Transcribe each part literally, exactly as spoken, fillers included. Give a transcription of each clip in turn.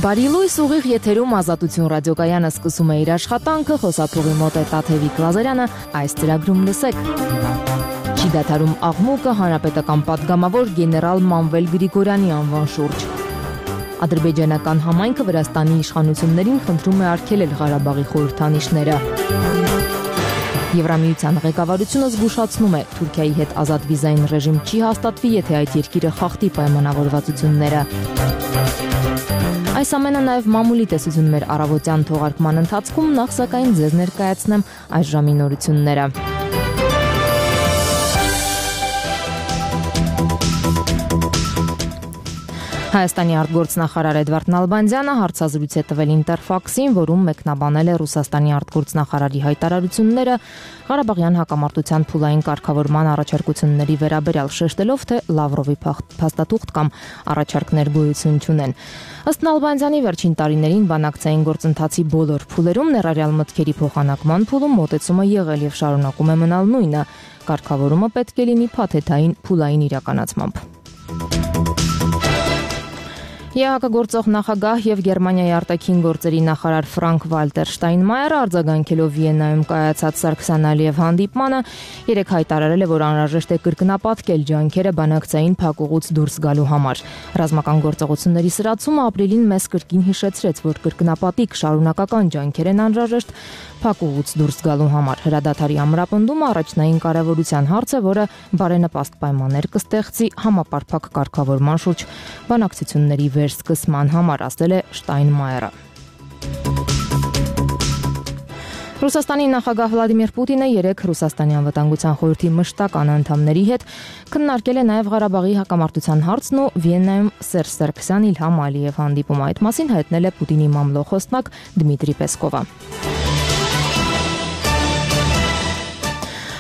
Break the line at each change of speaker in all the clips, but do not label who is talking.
Բարի լույս, ուղիղ եթերում Ազատություն ռադիոկայանը սկսում է իր աշխատանքը, խոսափողի մոտ է Տաթևիկ Լազարյանը, այս ծրագրում լսեք։ Չի դադարում աղմուկը հանրապետական պատգամավոր գեներալ Մանվել Գրիգորյանի անվան շուրջ։ Ադրբեջանական համայնքը Վրաստանի իշխանություններին խնդրում է արգելել Ղարաբաղի խորհրդանիշները։ Եվրամիության ղեկավարությունը զգուշացնում է, Թուրքիայի հետ ազատ վիզային ռեժիմ չի հաստատվի, եթե այդ երկիրը խախտի պայմանավորվածությունները։ Այս ամենը նաև մամուլի տեսություն մեր առավոտյան թողարկման ընթացքում, նախ սակայն ձեզ ներկայացնեմ այս ժամի նորությունները։ Հայաստանի արտգործնախարար Էդվարդ Նալբանդյանը հարցազրույց է տվել Ինտերֆաքսին, որում մեկնաբանել է Ռուսաստանի արտգործնախարարի հայտարարությունները Ղարաբաղյան հակամարտության փուլային կարգավորման առաջարկությունների վերաբերյալ, շեշտելով, թե Լավրովի փաստաթուղթ կամ առաջարկներ գոյություն չունեն։ Ըստ Նալբանդյանի, վերջին տարիներին բանակցային գործընթացի բոլոր փուլերում, ներառյալ մտքերի փոխանակման փուլում, մոտեցումը եղել եւ շարունակում է մնալ նույնը։ Կարգավորումը պետք է լինի փաթեթային փուլային իրականացմամբ։ ԵԱՀԿ գործող նախագահ եւ Գերմանիայի արտաքին գործերի նախարար Ֆրանկ Վալտեր Շտայնմայերը արձագանքելով Վիեննայում կայացած Սարգսյան-Ալիև հանդիպմանը երեկ հայտարարել է, որ անհրաժեշտ է կրկնապատկել ջանքերը բանակցային փակուղուց դուրս գալու համար։ Ռազմական գործողությունների սրացումը ապրիլին մեզ կրկին հիշեցրեց, որ կրկնապատիկ շարունակական ջանքեր են անհրաժեշտ փակուղուց դուրս գալու համար։ Հրադադարի ամրապնդումը առաջնային կարևորության հարց է, որը բարենպաստ պայմաններ կստեղծի համապարփակ կարգավորման շուրջ բանակցությունների վերսկսման համար, ասել է Շտայնմայերը։ Ռուսաստանի նախագահ Վլադիմիր Պուտինը երեկ Ռուսաստանի անվտանգության խորհրդի մշտական անդամների հետ քննարկել է նաև Ղարաբաղի հակամարտության հարցն ու Վիեննայում Սերժ Սարգսյան Իլհամ Ալիև հանդիպումը։ Այդ մասին հայտնել է Պուտինի մամլոխոսնակ Դմիտրի Պեսկովը։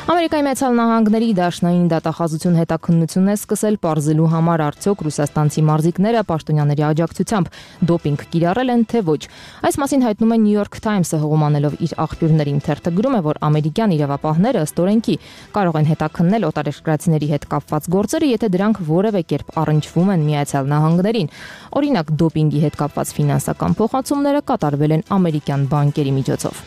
Ամերիկայի Մեծալ Նահանգների Դաշնային դատախազություն հետաքննություն է սկսել պարզելու համար, արդյոք ռուսաստանցի մարզիկները պաշտոնյաների աջակցությամբ դոպինգ կիրառել են, թե ոչ։ Այս մասին հայտնում է New York Times-ը հղումանելով իր աղբյուրներին։ Թերթը գրում է, որ ամերիկյան իրավապահները ըստ օրենքի կարող են հետաքննել օտարերկրացիների հետ կապված գործերը, եթե դրանք որևէ կերպ առնչվում են Միացյալ Նահանգներին։ Օրինակ, դոպինգի հետ կապված ֆինանսական փոխանցումները կատարվել են ամերիկյան բանկերի միջոցով։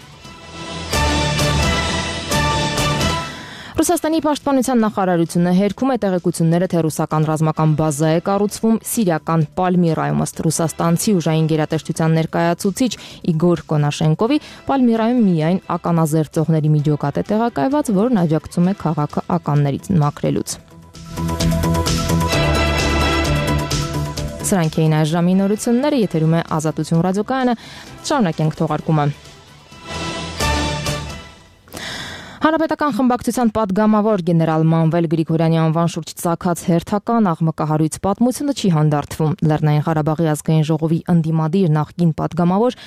Ռուսաստանի պաշտպանության նախարարությունը հերքում է տեղեկությունները, թե ռուսական ռազմական բազա է կառուցվում Սիրիական Պալմիրայում։ Ըստ ռուսաստանցի ուժային գերատեսչության ներկայացուցիչ Իգոր Կոնաշենկովի, Պալմիրայում միայն ականազերծողների միջոկատ է տեղակայված, որն աջակցում է քաղաքը ականներից մաքրելուց։ Սրանք էին այս ժամի նորությունները, եթերում է Ազատություն ռադիոկայանը, շարունակենք թողարկումը։ Հանրապետական խմբակցության պատգամավոր գեներալ Մանվել Գրիգորյանի անվան շուրջ ծագած հերթական աղմկահարույց պատմությունը չի հանդարտվում։ Լեռնային Ղարաբաղի ազգային ժողովի ընդդիմադիր նախկին պատգամավոր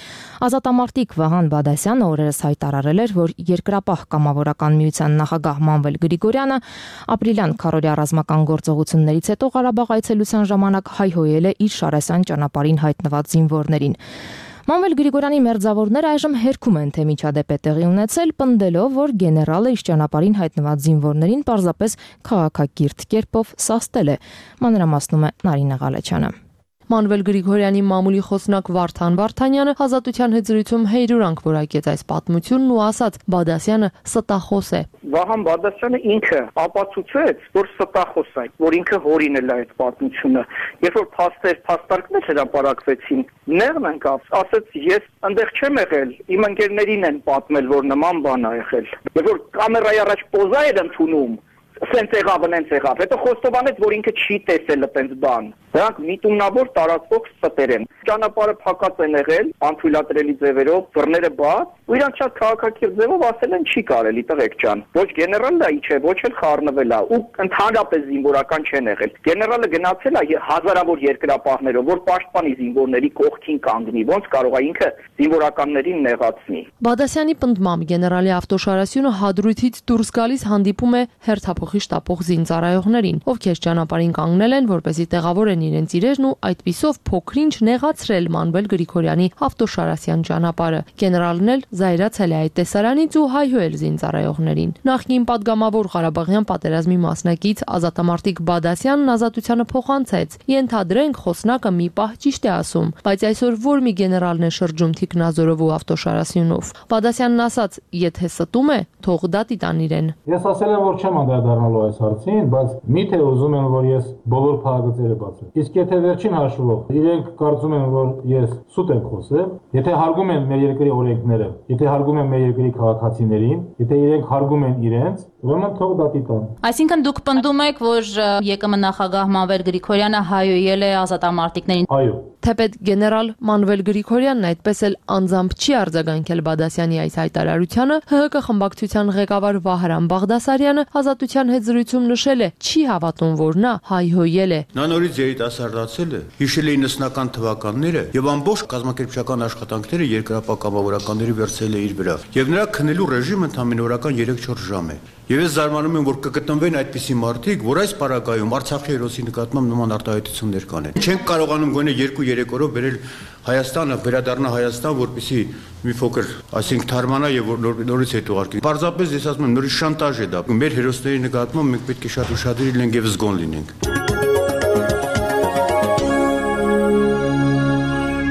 ազատամարտիկ Վահան Բադասյանը օրերս հայտարարել էր, որ Երկրապահ կամավորական միության նախագահ Մանվել Գրիգորյանը ապրիլյան քառօրյա ռազմական գործողություններից հետո Ղարաբաղ այցելության ժամանակ հայհոյել է իր Շարասյան ճանապարհին հայտնված զինվորներին։ Մանվել Գրիգորյանի մերձավորները այժմ հերքում են, թե միջադեպ է տեղի ունեցել, պնդելով, որ գեներալը իր ճանապարհին հայտնված զինվորներին պարզապես քաղաքակիրթ կերպով սաստել է։ Մանրամասնում է Նարինե Ղալեչյանը։
Մանվել Գրիգորյանի մամուլի խոսնակ Վարդան Վարդանյանը Ազատության հետ զրույցում հետևանք որակեց այս պատմությունն ու ասաց՝ Բադասյանը ստախոս է։
Վահան Բադասյանը ինքը ապացուցեց, որ ստախոս է, որ ինքը հորինել է այդ պատմությունը։ Երբ որ փաստեր, փաստարկներ հրապարակվեցին, նեղն ընկավ, ասաց՝ ես այնտեղ չեմ եղել, իմ ընկերներին են պատմել, որ նման բան ա եղել։ Երբ որ կամերայի առաջ պոզա էր ընդունում, սենց եղավ, նենց եղավ, հետո խոստովանեց, որ ինքը չի տեսել այդպես բան։ Դրանք միտումնավոր տարածվող ստեր են։ Ճանապարհը փակած են եղել, անթույլատրելի ձևերով, բռները բաց, ու իրանք շատ քաղաքակիրթ ձևով ասել են չի կարելի, տղեկ ջան։ Ոչ գեներալն է, չէ, ոչ էլ խառնվել է, ու ընդհանրապես զինվորական չեն եղել։ Գեներալը գնացել է հազարավոր երկրապահներով, որ պաշտպանի զինվորների կողքին կանգնի, ոնց կարող է ինքը զինվորականներին նեղացնի։
Բադասյանի պնդմամբ գեներալի ավտոշարասյունը հադրույթից դուրս գալիս հանդիպում է հերթափոխի շտապող զինծառայողներին, ովքեր ճանապարհին կանգնել են, որպեսզի տեղավորեն են իրենց իրերն ու այդպիսով փոքրինչ նեղացրել Մանվել Գրիգորյանի Հավտոշարասյան ճանապարհը։ Գեներալն էլ զայրացել է այդ տեսարանից ու հայհոյել զինծառայողներին։ Նախկին падգամավոր Ղարաբաղյան պատերազմի մասնակից ազատամարտիկ Բադասյանն ազատությանը փոխանցեց։ Ենթադրենք խոսնակը մի պահ ճիշտ է ասում, բայց այսօր որ մի գեներալն է շրջում Թիկնազորով ու Հավտոշարասյունով։ Բադասյանն ասաց, եթե ստում է, թող դատի տան իրեն։
Ես ասել եմ, որ չեմ անդրադառնալու այս հարցին, բայց միթե ուզում են, որ ես բոլոր փակագծերը բացեմ։ Իսկ եթե վերջին հաշվով իրենք կարծում են, որ ես սուտ եմ խոսել, եթե հարգում են մեր երկրի օրենքները, եթե հարգում են մեր երկրի քաղաքացիներին, եթե իրենք հարգում են իրենց, ուրեմն թող դատի տան։
Այսինքն դուք պնդում եք, որ ԵԿՄ նախագահ Մանվել Գրիգորյանը հայոյել է ազատամարտիկներին։
Այո։
Թեպետ գեներալ Մանվել Գրիգորյանն այդպես էլ անձամբ չի արձագանքել Բադասյանի այս հայտարարությանը, ՀՀԿ խմբակցության ղեկավար Վահրամ Բաղդասարյանը ազատության հետ զրույցում նշել է, չի հավատում, որ նա հայհոյել է։
Նա նորից երիտասարդացել է, հիշել է իննսնական թվականները եւ ամբողջ կազմակերպչական աշխատանքները երկրապահ կամավորականների վերցրել է իր վրա։ Եվ նրա քնելու ռեժիմը ընդամենը օրական երեք-չորս ժամ է։ Եվ ես զարմանում եմ, որ կգտնվեն այդպիսի մարդիկ, որ այս պարագայում Արցախի հերոսի նկատմամբ նման արտահայտություններ կանեն։ Չենք կարողանում գոնե երկու-երեք օրով բերել Հայաստանը, վերադառնա Հայաստան, որպեսզի մի փոքր, այսինքն թարմանա եւ նորից հետ ուղարկի։ Պարզապես ես ասում եմ, նորից շանտաժ է դա։ Մեր հերոսների նկատմամբ մենք պետք է շատ ուշադիր լինենք եւ զգոն լինենք։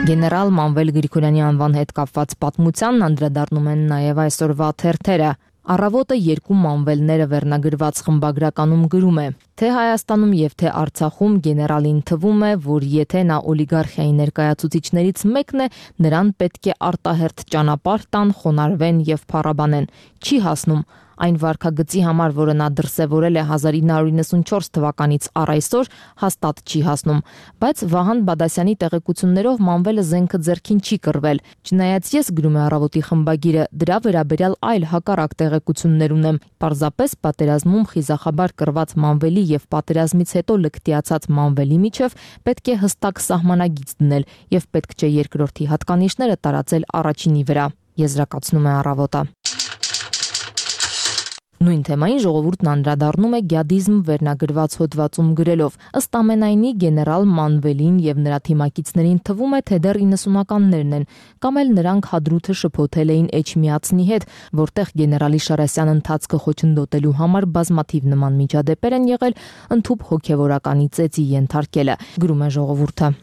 Գեներալ Մանվել Գրիգորյանի անվան հետ կապված պատմությանն անդրադառնում են նաև այսօրվա թերթերը։ Առավոտը երկու մանվելները վերնագրված խմբագրականում գրում է, թե Հայաստանում եւ թե Արցախում գեներալին թվում է, որ եթե նա օլիգարխիայի ներկայացուցիչներից մեկն է, նրան պետք է արտահերթ ճանապարհ տան, խոնարհվեն եւ փառաբանեն։ Չի հասնում այն վարքագծի համար, որը նա դրսևորել է հազար ինը հարյուր իննսունչորս թվականից առ այսօր, հաստատ չի հասնում, բայց Վահան Բադասյանի տեղեկություններով Մանվելը զենքը ձեռքին չի կռվել։ Չնայած ես, գրում է Առավոտի խմբագիրը, դրա վերաբերյալ այլ հակառակ տեղեկություններ ունեմ։ Պարզապես պատերազմում խիզախաբար կռված Մանվելի եւ պատերազմից հետո լկտիացած Մանվելի միջև պետք է հստակ սահմանագիծ դնել եւ պետք չէ երկրորդի հատկանիշները տարածել առաջինի վրա, եզրակացնում է Առավոտը։ Նույն թեմային ժողովուրդն անդրադառնում է գյադիզմ վերնագրված հոդվածում գրելով. ըստ ամենայնի գեներալ Մանվելին եւ նրա թիմակիցներին թվում է, թե դեռ իննսունականներն են, կամ էլ նրանք հադրութը շփոթել էին Էջմիածնի հետ, որտեղ գեներալի Շարասյան ընթացքը խոչընդոտելու համար բազմաթիվ նման միջադեպեր են եղել, ընդհուպ հոգեվորականի ծեծի ենթարկելը, գրում է ժողովուրդը։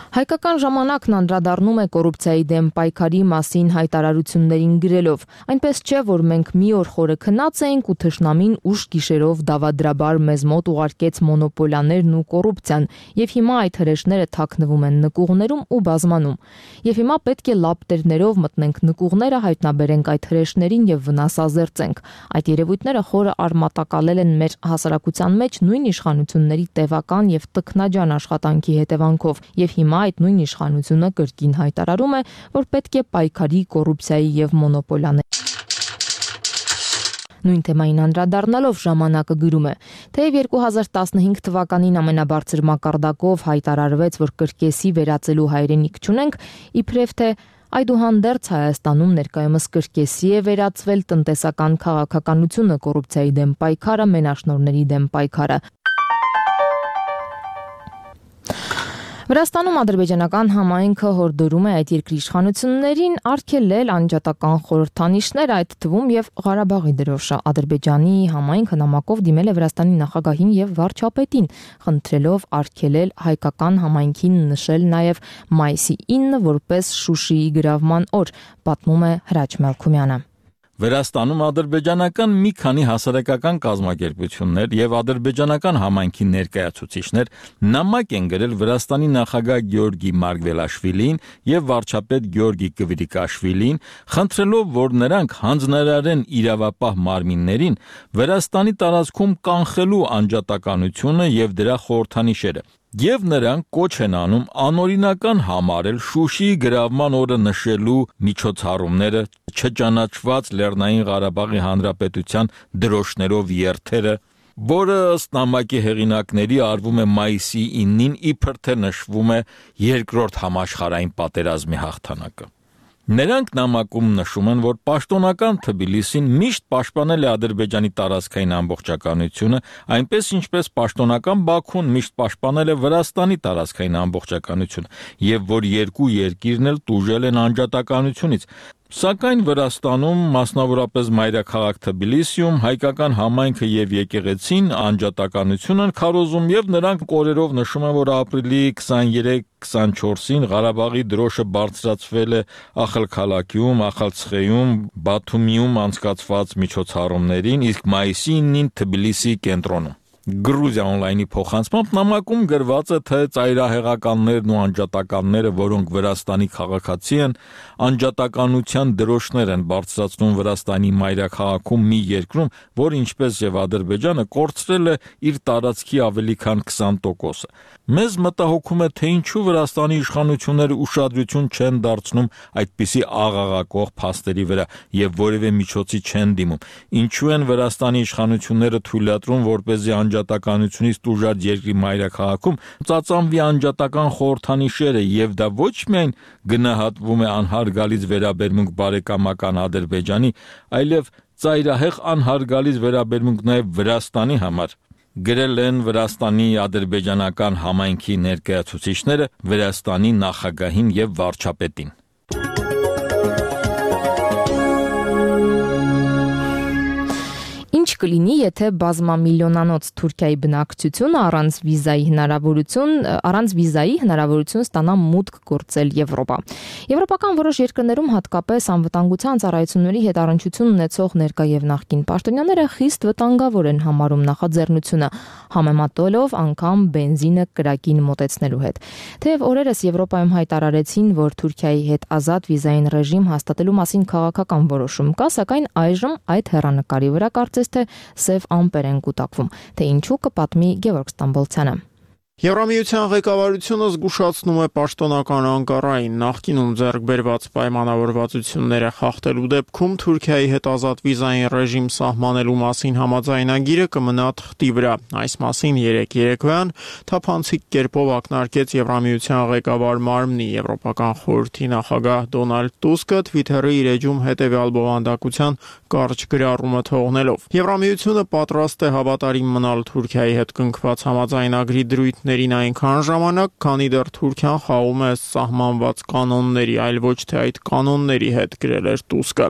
Հայկական ժամանակն անդրադառնում է կոռուպցիայի դեմ պայքարի մասին հայտարարություններին գրելով. այնպես չէ, որ մենք մի օր խորը քնած էինք ու թշնամին ուշ գիշերով դավադրաբար մեզ մոտ ուղարկեց մոնոպոլիաներն ու կոռուպցիան, եւ հիմա այդ հրեշները թաքնվում են նկուղներում ու բազմանում։ Եվ հիմա պետք է լապտերներով մտնենք նկուղները, հայտնաբերենք այդ հրեշներին եւ վնասազերծենք։ Այդ երևույթները խորը արմատակալել են մեր հասարակության մեջ նույն իշխանությունների տևական եւ տքնաջան աշխատանքի հետևանքով, եւ հիմա այդ նույն իշխանությունը կրկին հայտարարում է, որ պետք է պայքարի կոռուպցիայի եւ մոնոպոլիաների։ Նույն թեմային անդրադառնալով ժամանակը գրում է, թեև երկու հազար տասնհինգ թվականին ամենաբարձր մակարդակով հայտարարվեց, որ կրկեսի վերածելու հայրենիք չունենք, իբրև թե այդուհանդերձ Հայաստանում ներկայումս կրկեսի է վերածվել տնտեսական քաղաքականությունը, կոռուպցիայի դեմ պայքարը, մենաշնորհների դեմ պայքարը։ Վրաստանում ադրբեջանական համայնքը հորդորում է այդ երկրի իշխանություններին արգելել անջատական խորհրդանիշներ, այդ թվում եւ Ղարաբաղի դրոշը։ Ադրբեջանի համայնքը նամակով դիմել է Վրաստանի նախագահին եւ վարչապետին, խնդրելով արգելել հայկական համայնքին նշել նաեւ մայիսի ինը որպես Շուշիի գրավման օր, պատմում է Հրաչ Մելքումյանը։
Վրաստանում ադրբեջանական մի քանի հասարակական կազմակերպություններ եւ ադրբեջանական համայնքի ներկայացուցիչներ նամակ են գրել Վրաստանի նախագահ Գեորգի Մարգվելաշվիլին եւ վարչապետ Գեորգի Կվիրիկաշվիլին, խնդրելով, որ նրանք հանձնարարեն իրավապահ մարմիններին Վրաստանի տարածքում կանխելու անջատականությունը եւ դրա խորհրդանիշերը։ Եվ նրանք կոչ են անում անօրինական համարել Շուշիի գրավման օրը նշելու միջոցառումները, չճանաչված Լեռնային Ղարաբաղի Հանրապետության դրոշներով երթերը, որը ըստ նամակի հեղինակների արվում է մայիսի ինին, իբր թե նշվում է երկրորդ համաշխարհային պատերազմի հաղթանակը։ Նրանք նամակում նշում են, որ պաշտոնական Թբիլիսին միշտ պաշտպանել է Ադրբեջանի տարածքային ամբողջականությունը, այնպես ինչպես պաշտոնական Բաքուն միշտ պաշտպանել է Վրաստանի տարածքային ամբողջականությունը, եւ որ երկու երկիրն էլ տուժել են անջատականությունից։ Սակայն Վրաստանում, մասնավորապես մայրաքաղաք Թբիլիսիում, հայկական համայնքը եւ եկեղեցին անջատականություն են քարոզում եւ նրանք օրերով նշում են, որ ապրիլի քսաներեք քսանչորսին Ղարաբաղի դրոշը բարձրացվել է Ախալքալաքիում, Ախալցխեում, Բաթումիում անցկացված միջոցառումներին, իսկ մայիսի ինին Թբիլիսի կենտրոնում։ Գրուզիա օնլայնի փոխանցմամբ նամակում գրված է, թե ծայրահեղականներն ու անջատականները, որոնք Վրաստանի քաղաքացի են, անջատականության դրոշներ են բարձրացնում Վրաստանի մայրաքաղաքում մի երկրում, որ ինչպես եւ Ադրբեջանը կորցրել է իր տարածքի ավելի քան քսան տոկոսը։ Մեզ մտահոգում է, թե ինչու Վրաստանի իշխանությունները ուշադրություն չեն դարձնում այդպիսի աղաղակող փաստերի վրա եւ որևէ միջոցի չեն դիմում։ Ինչու են Վրաստանի իշխանությունները թույլատրում, որպեսզի անջատականությունից տուժած երկրի մայրաքաղաքում ծածանվի անջատական խորհրդանիշերը եւ դա ոչ միայն գնահատվում է անհարգալից վերաբերմունք բարեկամական Ադրբեջանի, այլև ծայրահեղ անհարգալից վերաբերմունք նաեւ Վրաստանի համար։ Գրել են Վրաստանի ադրբեջանական համայնքի ներկայացուցիչները Վրաստանի նախագահին եւ վարչապետին։
Ինչ կլինի, եթե բազմամիլիոնանոց Թուրքիայի բնակչությունը առանց վիզայի հնարավորություն, առանց վիզայի հնարավորություն ստանա մուտք գործել Եվրոպա։ Եվրոպական որոշ երկրներում հատկապես անվտանգության ծառայությունների հետ առնչություն ունեցող ներկա եւ նախկին պաշտոնյաները խիստ վտանգավոր են համարում նախաձեռնությունը, համեմատելով անգամ բենզինը կրակին մոտեցնելու հետ։ Թեև օրերս Եվրոպայում հայտարարեցին, որ Թուրքիայի հետ ազատ վիզային ռեժիմ հաստատելու մասին քաղաքական որոշում կա, սակայն այժմ այդ հեռանկարի վրա կարծես թե սև ամպեր են կուտակվում, թե ինչու կպատմի Գևորգ Ստամբոլցյանը։
Եվրամիության ղեկավարությունը զգուշացնում է պաշտոնական Անկարային նախկինում ձեռք բերված պայմանավորվածությունները խախտելու դեպքում Թուրքիայի հետ ազատ վիզային ռեժիմ սահմանելու մասին համաձայնագիրը կմնա թղթի վրա։ Այս մասին երեկ երեկոյան թափանցիկ կերպով ակնարկեց Եվրամիության ղեկավար մարմնի Եվրոպական խորհրդի նախագահ Դոնալդ Տուսկը Twitter-ի իր էջում հետևյալ բովանդակության կարճ գրառումը թողնելով։ Եվրամիությունը պատրաստ է հավատարիմ մնալ Թուրքիայի հետ կնքված համաձայնագրի դրույթ ներին այնքան ժամանակ, քանի դեռ Թուրքիան խաղում է սահմանված կանոնների, այլ ոչ թե այդ կանոնների հետ, գրել էր Տուսկը։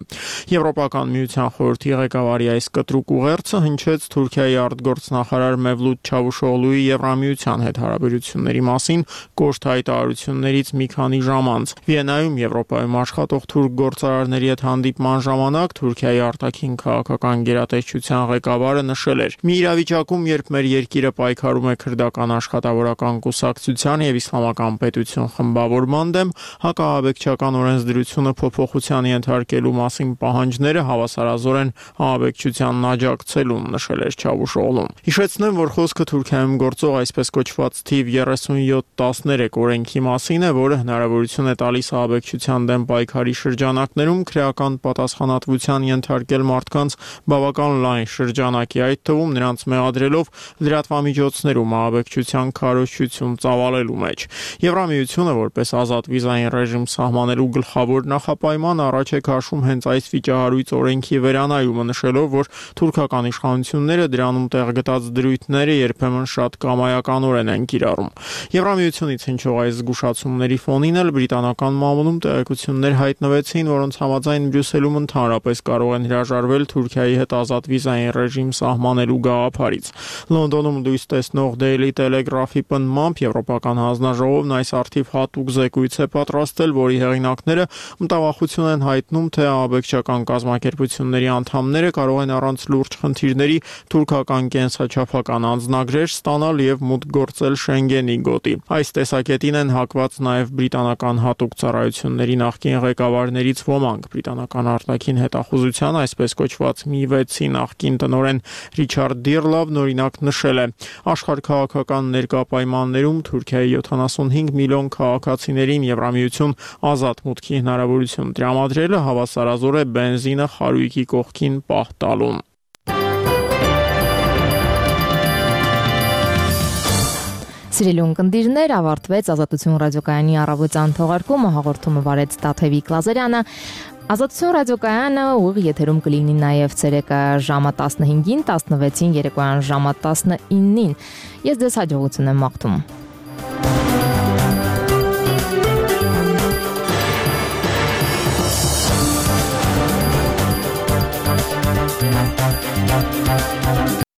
Եվրոպական միության խորհրդի ղեկավարի այս կտրուկ ուղերձը հնչեց Թուրքիայի արտգործնախարար Մևլութ Չավուշօղլուի Եվրամիության հետ հարաբերությունների մասին կոշտ հայտարարություններից մի քանի ժամ անց։ Վիեննայում Եվրոպայում աշխատող թուրք գործարարների հետ հանդիպման ժամանակ Թուրքիայի արտաքին քաղաքական գերատեսչության ղեկավարը նշել էր. «Մի իրավիճակում, երբ մեր երկիրը պայքարում է քրդական աշխատավորական կուսակցության եւ իսլամական պետություն խմբավորման դեմ, հակահաբեկչական օրենսդրությունը փոփոխության ենթարկելու մասին պահանջները հավասարազոր են ահաբեկչությանն աջակցելուն», նշել էր Չավուշօղլուն։ Հիշեցնեմ, որ խոսքը Թուրքիայում գործող այսպես կոչված թիվ երեսունյոթ տասներեք օրենքի մասին է, որը հնարավորություն է տալիս ահաբեկչության դեմ պայքարի շրջանակներում քրեական պատասխանատվության ենթարկել մարդկանց բավական լայն շրջանակի, այդ թվում նրանց մեղադրելով լրատվամիջոցներում ահաբեկչության քարոզչություն ծավալելու մեջ։ Եվրամիությունը որպես ազատ վիզային ռեժիմ սահմանելու գլխավոր նախապայման առաջ է քաշում հենց այս վիճահարույց օրենքի վերանայումը, նշելով, որ թուրքական իշխանությունները դրանում տեղ գտած դրույթները երբեմն շատ կամայականորեն են կիրառում։ Եվրամիությունից հնչող այս զգուշացումների ֆոնին էլ բրիտանական մամուլում տեղեկություններ հայտնվեցին, որոնց համաձայն Բրյուսելում ընդհանրապես կարող են հրաժարվել Թուրքիայի հետ ազատ վիզային ռեժիմ սահմանելու գաղափարից։ Լոնդոնում լույս տեսնող Daily Telegraph-ի պնդմամբ Եվրոպական հանձնաժողովն այս արդիվ հատուկ զեկույց է պատրաստել, որի հեղինակները մտավախություն են հայտնում, թե ահաբեկչական կազմակերպությունների անդամները կարող են առանց լուրջ խնդիրների թուրքական կենսաչափական անձնագրեր ստանալ եւ մուտք գործել Շենգենի գոտի։ Այս տեսակետին են հակված նաեւ բրիտանական հատուկ ծառայությունների նախկին ղեկավարներից ոմանք։ Բրիտանական արտաքին հետախուզության այսպես կոչված մի վեցի նախկին տնօրեն Ռիչարդ Դիրլավն օրինակ նշել է. աշխարհքաղաքական ներկա պայմաններում Թուրքիայի յոթանասունհինգ միլիոն քաղաքացիներին Եվրամիություն ազատ մուտքի հնարավորություն տրամադրելը հավասարազոր է բենզինը խարույկի կողքին պահ տալուն։
Սիրելի ունկնդիրներ, ավարտվեց Ազատություն ռադիոկայանի առավոտյան թողարկումը, հաղորդումը վարեց Տաթևիկ Լազարյանը։ Ազատություն ռադիոկայանը ուղիղ եթերում կլինի նաև ցերեկը ժամը տասնհինգին, տասնվեցին, երեկոյան ժամը տասնինին։ Ես ձեզ հաջողություն եմ մաղթում։